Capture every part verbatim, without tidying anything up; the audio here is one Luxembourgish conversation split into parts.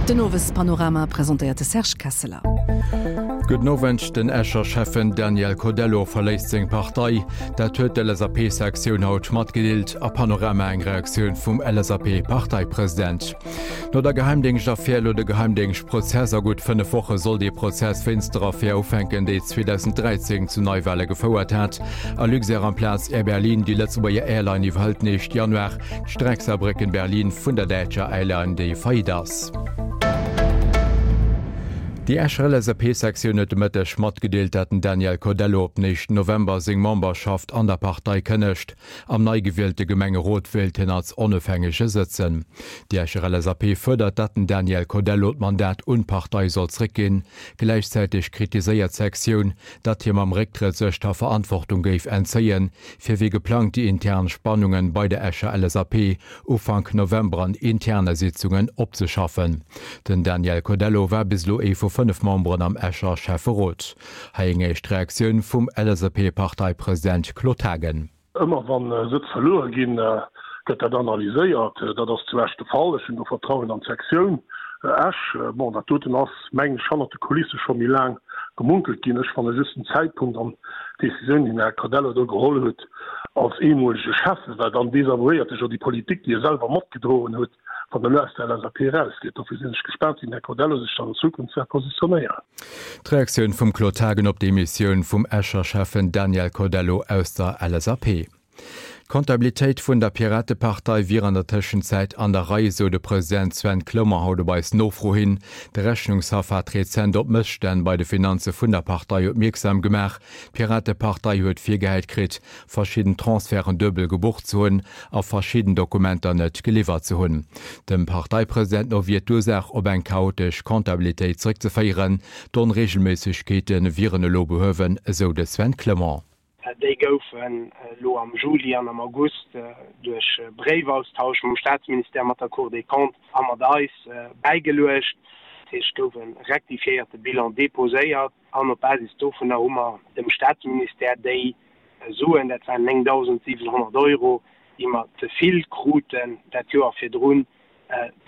Den Owespanorama presentéiert de Serge Kesseler. Gudden Owend, Den Escher Schäffen Daniel Codello verléisst seng Partei. Dat huet d'LSAP-Sektioun haut matgedeelt. A Panorama eng Reaktioun vum LSAP-Parteipresident. No der Geheimdéngschtaffär elo de Geheimdéngschtprozess. A gutt fënnef Woche soll dee Prozess wéinst der Affär ufänken, déi zweedausendräizéng zu Neiwale gefouert hat. A Luxair amplaz Air Berlin, Déi Lëtzebuerger Airline iwwerhëlt den éischte Januar d'Streck Saarbrécken-Berlin vun der däitscher Airline, déi faillite ass. Déi Escher L S A P-Sektioun huet de Mëtteg matgedeelt, dat den Daniel Codello op den éischten November seng Memberschaft an der Partei kënnegt. Am nei gewielte Gemengerot wéilt hien als Onofhängege sëtzen. Déi Escher L S A P fuerdert, dat den Daniel Codello d'Mandat un d'Partei soll zréckginn. Gläichzäiteg kritiséiert d'Sektioun, datt hie mam Récktrëtt sech der Verantwortung géif entzéien, fir wéi geplangt déi intern Spannungen bei der Escher L S A P Ufank November an interne Sitzungen opzeschaffen. Den Daniel Codello war bis elo ee vu fënnef Memberen am Escher Schäfferot. Hei eng éischt Reaktioun vum L S A P-Parteipresident Claude Haagen. Ëmmer wann Sëtz verluer ginn, gëtt dat analyséiert. Dat ass zu Esch de Fall. Ech hunn do Vertrauen an d'Sektioun Esch. Bon, dat doten ass, mengen ech, hannert de Kulisse scho méi laang gemunkelt ginn. Ech fanne just den Zäitpunkt an d'Decisioun, déi den Här Codello do geholl huet als eemolege Schäffen, well dann desavouéiert e jo déi Politik, déi e selwer matgedroen huet, wann en elo aus der L S A P erausgeet. Dofir sinn ech gespaant, wéi den Här Codello sech dann an Zukunft wäert positionéieren. D'Reaktioun vum Claude Haagen op d'Demissioun vum Escher Schäffen Daniel Codello aus der L S A P. D'Kontabilitéit vun der Piratepartei wier an der Tëschenzäit an der Rei, sou de President Sven Clement haut op eis Nofro hin. De Rechnungshaff hat rezent op Mësstänn bei de Finanze vun der Partei opmierksam gemaach. D'Piratepartei huet virgehäit kritt, verschidden Transferten duebel gebucht ze hunn a verschidden Dokumenter net geliwwert ze hunn. Dem Parteipresident no wier d'Ursaach op eng chaotesch Kontabilitéit zeréckzeféieren. D'Onreegelméissegkeete wieren elo behuewen, esou de Sven Clement. Déi goufen elo am Juli an am August duerch Bréifaustausch mam Staatsministère, mat der Cour des Comptes a mat eis bäigeluecht. Dat heescht, et gouf e rektifiéierte Bilan deposéiert an op Basis dovunner hu mer dem Staatsministère déi Suen, dat waren néngdausendsiwenhonnert Euro, déi mer ze vill kruten dat Joer virdrun,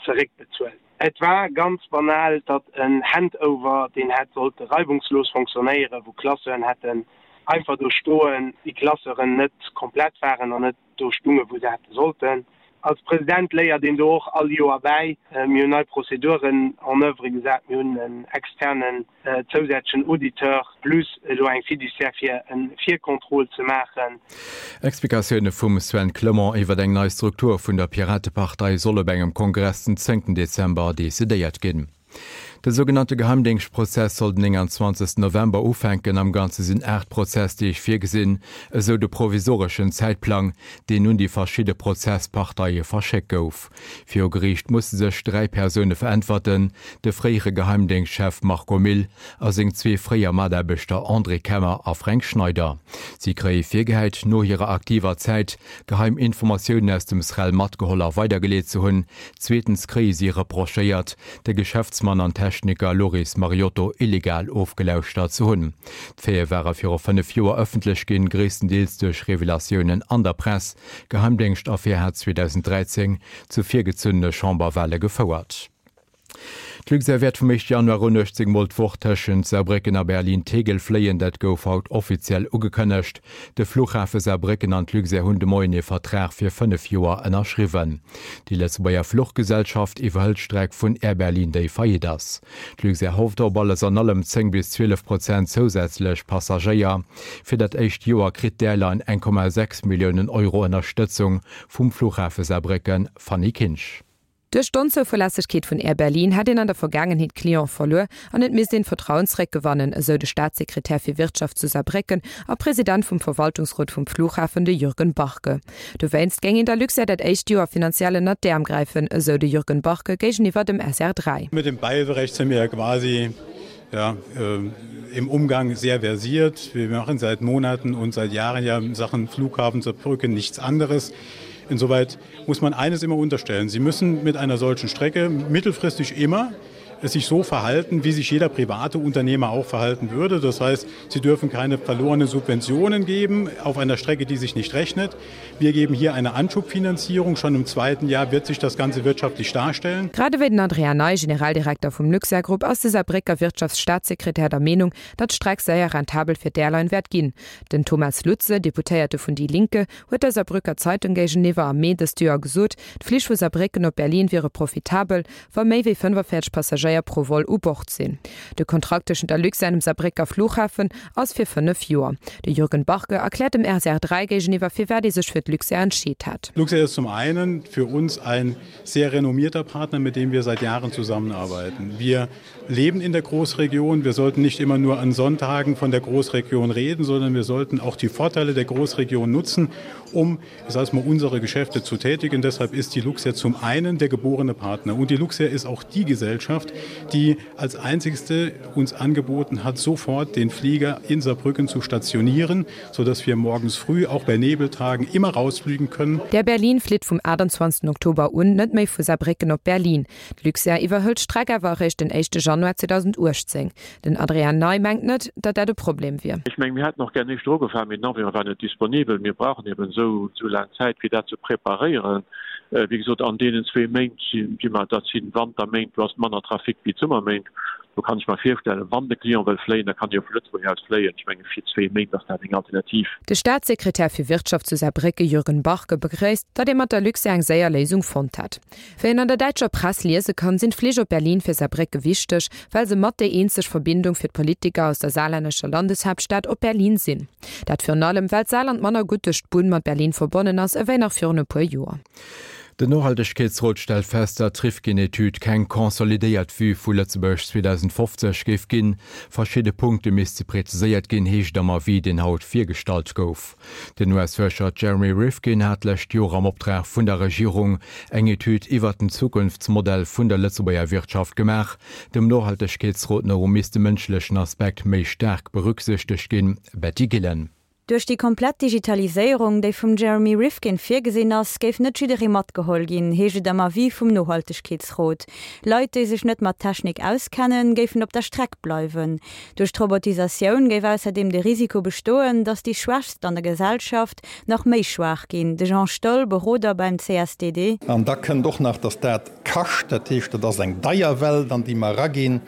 zeréckbezuelt. Et war ganz banal, datt en Handover, deen hätt sollte reibungslos fonctionnéieren, wou Classeuren hätten einfach do stoen, déi Classeuren net komplett waren an net do stungen, wou se hätte sollten. Als President léiert een do och all Joer bäi. Mir hunn nei Prozeduren en oeuvre gesat, mir hunn en externen zousätzlechen Auditeur plus elo eng Fiduciaire fir e Vircontrôle ze maachen. Explikatioune vum Sven Clement iwwer eng nei Struktur vun der Piratepartei soll op engem Kongress den zéngten Dezember decidéiert ginn. De sougenannte Geheimdéngschtprozess soll den nénganzwanzegsten November ufänken. Am Ganze sinn aacht Prozessdeeg virgesinn, esou de provisoreschen Zäitplang, deen un déi verschidde Prozessparteie verschéckt gouf. Viru Geriicht musse sech dräi Persoune veräntwerten, de fréiere Geheimdéngschtchef Marco Mille a seng zwee fréier Mataarbechter André Kemmer a Fränk Schneider. Si kréie virgehäit, no hirer aktiver Zäit geheim Informatiounen aus dem SREL matgeholl a weidergeleet ze hunn. Zweetens kréie si reprochéiert, de Geschäftsmann an Techniker Loris Mariotto illegal ofgelauschtert ze hunn. D'Faite ware viru fënnef Joer ëffentlech ginn, gréisstendeels duerch Revelatiounen an der Press. D'Geheimdéngschtaffär hat zweedausendräizéng zu virgezunnene Chamberwale gefouert. D'Luxair wäert vum éischte Januar un uechtzéng Mol d'Woch tëschent Saarbrécken a Berlin-Tegel fléien. Dat gouf haut offiziell ugekënnegt. De Fluchhafe Saarbrécken an d'Luxair hunn de Moien ee Vertrag fir fënnef Joer ënnerschriwwen. Déi Lëtzebuerger Fluchgesellschaft iwwerhëlt d'Streck vun Air Berlin, déi faillite ass. D'Luxair hofft op alles an allem zéng bis zwielef Prozent zousätzlech Passagéier. Fir dat éischt Joer kritt d'Airline eng Komma sechs Milliounen Euro Ënnerstëtzung vum Fluchhafe Saarbrécken. Fanny Kinsch. Duerch d'Onzouverlässegkeet vun Air Berlin hätt een an der Vergaangenheet Cliente verluer an et misst een d'Vertrauen zeréckgewannen, esou de Staatssekretär fir Wirtschaft zu Saarbrécken a President vum Verwaltungsrot vum Flughafen, de Jürgen Barke. Dowéinst géing een der Luxair dat éischt Joer finanziell ënnert d'Äerm gräifen, esou de Jürgen Barke géigeniwwer dem S R dräi. Mit dem Beiberecht sind wir ja quasi ja, äh, im Umgang sehr versiert. Wir machen seit Monaten und seit Jahren ja in Sachen Flughafen Saarbrücken nichts anderes. Insoweit muss man eines immer unterstellen. Sie müssen mit einer solchen Strecke mittelfristig immer sich so verhalten, wie sich jeder private Unternehmer auch verhalten würde. Das heißt, sie dürfen keine verlorenen Subventionen geben auf einer Strecke, die sich nicht rechnet. Wir geben hier eine Anschubfinanzierung. Schon im zweiten Jahr wird sich das Ganze wirtschaftlich darstellen. Grad ewéi den Adrian Ney, Generaldirekter vum Luxair Group, ass de Saarbrécker Wirtschaftsstaatssekretär der Meenung, datt d'Streck séier rentabel fir d'Airline wäert ginn. Den Thomas Lutze, Deputéierte vun déi Linke, huet der Saarbrücker Zeitung géigeniwwer am Mee dëst Joer gesot, d'Flich vu Saarbrécken op Berlin wiere profitabel, wa méi wéi fënnefenvéierzeg Passagéier pro Vol u Bord sinn. De Kontrakt tëschent der Luxair an dem Saarbrécker Flughafen ass fir fënnef Joer. De Jürgen Barke erkläert dem R T L dräi géigeniwwer, firwat ee sech fir d'Luxair entscheet hat. Luxair ist zum einen für uns ein sehr renommierter Partner, mit dem wir seit Jahren zusammenarbeiten. Wir leben in der Großregion. Wir sollten nicht immer nur an Sonntagen von der Großregion reden, sondern wir sollten auch die Vorteile der Großregion nutzen, um, ich sag mal, unsere Geschäfte zu tätigen. Deshalb ist die Luxair zum einen der geborene Partner. Und die Luxair ist auch die Gesellschaft, die als einzigste uns angeboten hat, sofort den Flieger in Saarbrücken zu stationieren, sodass wir morgens früh auch bei Nebeltagen immer rausfliegen können. D'Air Berlin flitt vum achtundzwanzegsten Oktober un net méi vu Saarbrécken op Berlin. D'Luxair iwwerhëlt d'Streck awer eréischt den éischte Januar zweedausendachtzéng. Den Adrian Ney mengt net, datt dat e Problem wier. Ech mengen, mir hätten och gär éischter ugefaangen, mee den Avion war net disponibel. Mir brauchen eben esou, esou laang Zäit, fir dat ze preparéieren. Wéi gesot, an deenen zwee Méint sinn, déi mer, dat sinn Wanterméint, do ass manner Trafic wéi d'Summerméint. Do kann ech mer virstellen, wann de Client wëll fléien, da kann e jo vu Lëtzebuerg aus fléien. Ech mengen, fir zwee Méint ass dat eng Alternativ. De Staatssekretär fir Wirtschaft zu Saarbrécke Jürgen Barke begréisst, datt ee mat der Luxair eng séier Léisung fonnt hätt. Wéi een an der däitscher Press liese kann, sinn d'Flich op Berlin fir Saarbrécke wichteg, well se mat déi eenzeg Verbindung fir d'Politiker aus der saarlännescher Landeshaaptstad op Berlin sinn. Dat virun allem, well d'Saarland manner gutt duerch d'Bunn mat Berlin verbonnen ass ewéi nach virun e puer Joer. Den Nohaltegkeetsrot stellt fest, datt d'Rifkin-Etüd keng konsolidéiert Vue vu Lëtzebuerg zweedausendfofzeg géif ginn. Verschidde Punkte misste präziséiert ginn, heescht et am Avis, deen haut virgestallt gouf. Den U S-Fuerscher Jeremy Rifkin hat d'lescht Joer am Optrag vun der Regierung eng Etüd iwwert den Zukunftsmodell vun der Lëtzebuerger Wirtschaft gemaach. Dem Nohaltegkeetsrot no misst de mënschlechen Aspekt méi staark berücksichtegt ginn. Betty Gillen. Duerch déi komplett Digitaliséierung, déi vum Jeremy Rifkin virgesinn ass, géif net jidderee matgeholl ginn, heescht et am Avis vum Nohaltegkeetsrot. Leit, déi sech net mat Technik auskennen, géifen op der Streck bleiwen. Duerch d'Robotisatioun géif ausserdeem de Risiko bestoen, datt déi Schwächst an der Gesellschaft nach méi schwaach ginn. De Jean Stoll, Beroder beim C S D D. An da kënnt och nach, datt dat kascht, dat heescht, dat ass eng deier Welt, an déi mer eraginn,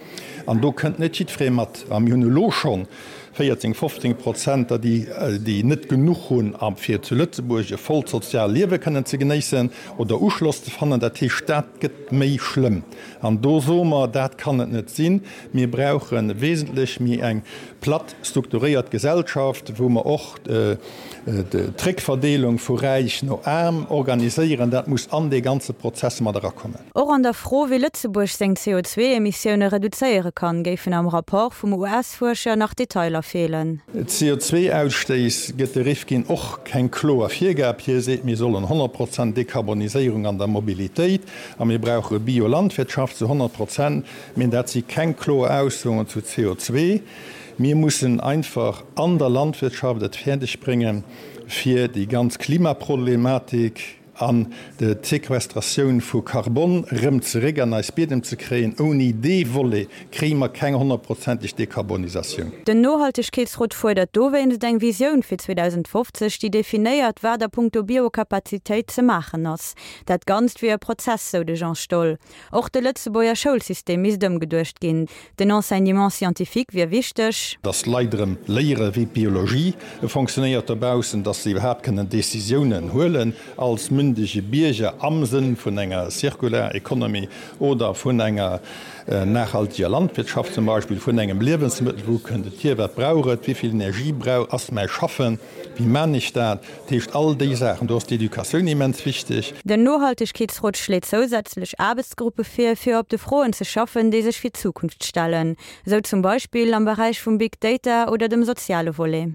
an do kënnt net jiddweree mat. A mir hunn elo schonn véierzéng, fofzéng Prozent, der déi, déi net genuch hunn, fir zu Lëtzebuerg e vollt sozial Liewe kënnen ze genéissen oder Uschloss ze fannen. Dat heescht, dat gëtt méi schlëmm. An do soe mer, dat kann et net sinn. Mir brauche wesentlech méi eng platt strukturéiert Gesellschaft, wou mer och d'Réckverdeelung vu räich no aarm organiséieren. Dat muss an dee ganze Prozess mat erakommen. Och an der Fro, wéi Lëtzebuerg seng C O zwee Emissioune reduzéiere kann, géifen am Rapport vum U S-Fuerscher nach Detailer feelen. C O zwee Ausstéiss gëtt de Rifkin och keng kloer Virgab. Hie seet, mir sollen honnert Prozent Dekarboniséierung an der Mobilitéit a mir brauche Biolandwirtschaft zu honnert Prozent. Mee dat si keng kloer Aussoen zu C O zwee. Mir mussen einfach an der Landwirtschaft et fäerdeg bréngen, fir déi ganz Klimaproblematik an d'Sequestratioun vu Karbon erëm zeréck an eis Biedem ze kréien. Ouni dee Volet kréie mer keng honnertprozenteg Dekarbonisatioun. Den Nohaltegkeetsrot fuerdert dowéinst eng Visioun fir zweedausendfofzeg, déi definéiert, wat a punkto Biokapazitéit ze maachen ass. Dat Ganzt wier e Prozess, sou de Jean Stoll. Och de Lëtzebuerger Schoulsystem misst ëmgeduecht ginn. Den Enseignement scientifique wier wichteg. Dass d'Leit erëm léiere wéi d'Biologie fonctionnéiert dobaussen, dass se iwwerhaapt kënnen Decisiounen huelen als mündege Bierger am Sënn vun enger Circular Economy oder vun enger nachhaltiger Landwirtschaft zum Beispill, vun engem Liewensmëttel, wou kënnt et hier, wat brauch et, wéi vill Energie brauch, ass mäi Schaffen, wéi man ech dat, dat heescht all déi Saachen, do ass d'Educatioun immens wichteg. Den Nohaltegkeetsrot schléit zousätzlech Aarbechtsgruppe vir, fir op de Froen ze schaffen, déi sech fir d'Zukunft stellen, sou zum Beispill am Beräich vum Big Data oder dem soziale Volet.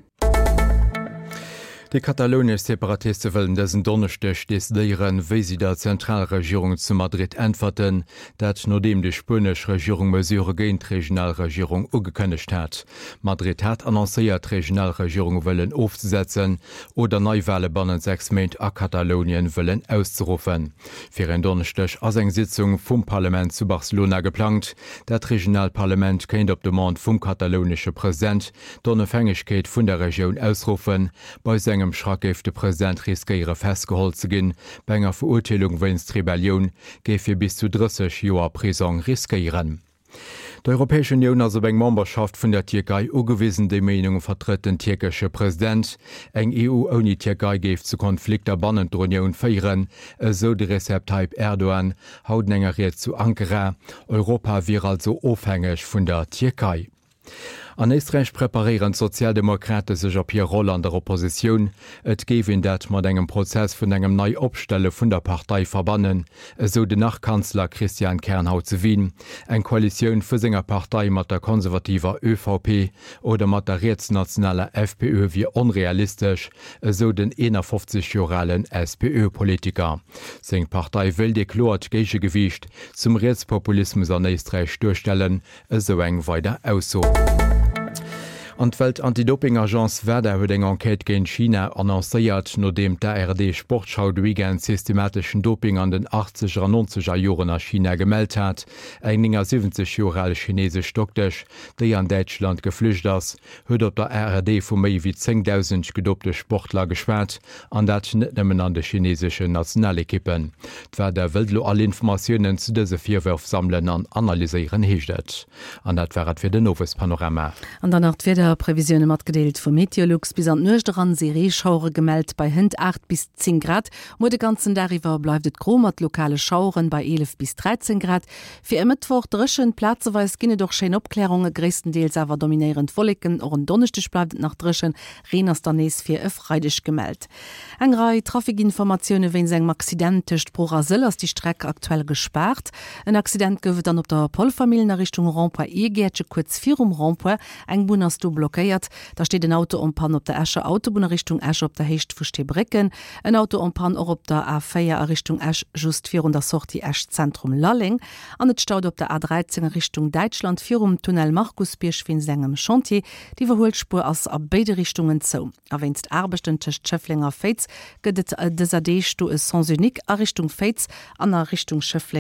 Déi katalounesch Separatiste wëllen dësen Donneschdeg decidéieren, wéi si der Zentralregierung zu Madrid äntwerten, dat nodeem déi spuenesch Regierung Mesurë géint d'Regionalregierung ugekënnegt hat. Madrid hat annoncéiert, d'Regionalregierung wëllen ofzesetzen oder Neiwale bannent sechs Méint a Katalounien wëllen auszeruffen. Fir en Donneschdeg ass eng Sitzung vum Parlament zu Barcelona geplangt. Dat regionaalt Parlament kéint op Demande vum katalounesche President d'Onofhängegkeet vun der Regioun ausruffen. Bei esou engem Schrack géif de President riskéiere festgeholl ze ginn. Bei enger Verurteelung wéinst Rebellioun géif hie bis zu drësseg Joer Prisong riskéieren. D'Europäesch Unioun ass op eng Memberschaft vun der Tierkei ugewisen, déi Meenung vertrëtt den tierkesche President. Eng E U ouni Tierkei géif zu Konflikter bannent der Unioun féieren, esou de Recep Tayyip Erdogan haut an enger Ried zu Ankara. Europa wier also ofhängeg vun der Tierkei. An Éisträich preparéieren d'Sozialdemokrate sech op hir Roll an der Oppositioun. Et géif een dat mat engem Prozess vun engem Nei-Opstelle vun der Partei verbannen, esou den Nach-Kanzler Christian Kern haut zu Wien. Eng Koalitioun vu senger Partei mat der konservativer Ö V P oder mat der rietsnationaler F P Ö wier onrealistesch, esou den eenafofzeg Joer alen S P Ö-Politiker. Seng Partei wéilt ee kloert Géigegewiicht zum Rietspopulismus an Éisträich duerstellen, esou eng weider Ausso. An d'Welt-Anti-Doping-Agence WADA huet eng Enquête géint China annoncéiert, nodeem d'A R D-Sportschau de Weekend systemateschen Doping an den achtzeger an nonzeger Joren a China gemellt hat. Eng néngasiwwenzeg Joer al chinesesch Doktesch, déi an Däitschland geflücht ass, huet op der A R D vu méi wéi zéngdausend gedopte Sportler geschwat, an dat net nëmmen an de chineseschen Nationalekippen. D'WADA wëllt elo all Informatiounen zu dëse Virwërf sammelen an analyséieren, heescht et. An dat war et fir den Owespanorama. An dann nach d'Wiederprevisioune matgedeelt vu Meteolux. Bis an d'Nuecht eran si Reeschauere gemellt bei hënt aacht bis zéng Grad. Muer de ganzen Dag iwwer bleift et gro mat lokale Schaueren bei eelef bis dräizéng Grad. Fir e Mëttwoch dréchen, plazeweis ginn et och schéin Opklärunge, gréisstendeels awer dominéieren d'Wolleken. Och en Donneschdeg bleift et nach dréchen, Reen ass dann nees fir e Freideg gemellt. Eng Rei Trafikinformatioune wéinst engem Accident tëscht Bruch a Sëll ass déi Streck aktuell gespaart. En Accident gouf et dann op der Polvermillen a Richtung Rond-point Irgäertche kuerz virum Rond-point. Eng Bunn ass do blockéiert. Da steet en Auto en panne op der Escher Autobunn a Richtung Esch op der Héicht vu Steebrécken. En Auto en panne och op der A véier a Richtung Esch just virun der Sortie Esch Zentrum Lalleng. An et staut op der A dräizéng a Richtung Däitschland virum Tunnel Markusbierg wéinst engem Chantier. D'Iwwerhuelspuer ass a béide Richtungen zou. A wéinst Aarbechten tëscht Schëffleng a Féiz gëtt et dëser Deeg do e Sens unique a Richtung Féiz an a Richtung Schëffleng.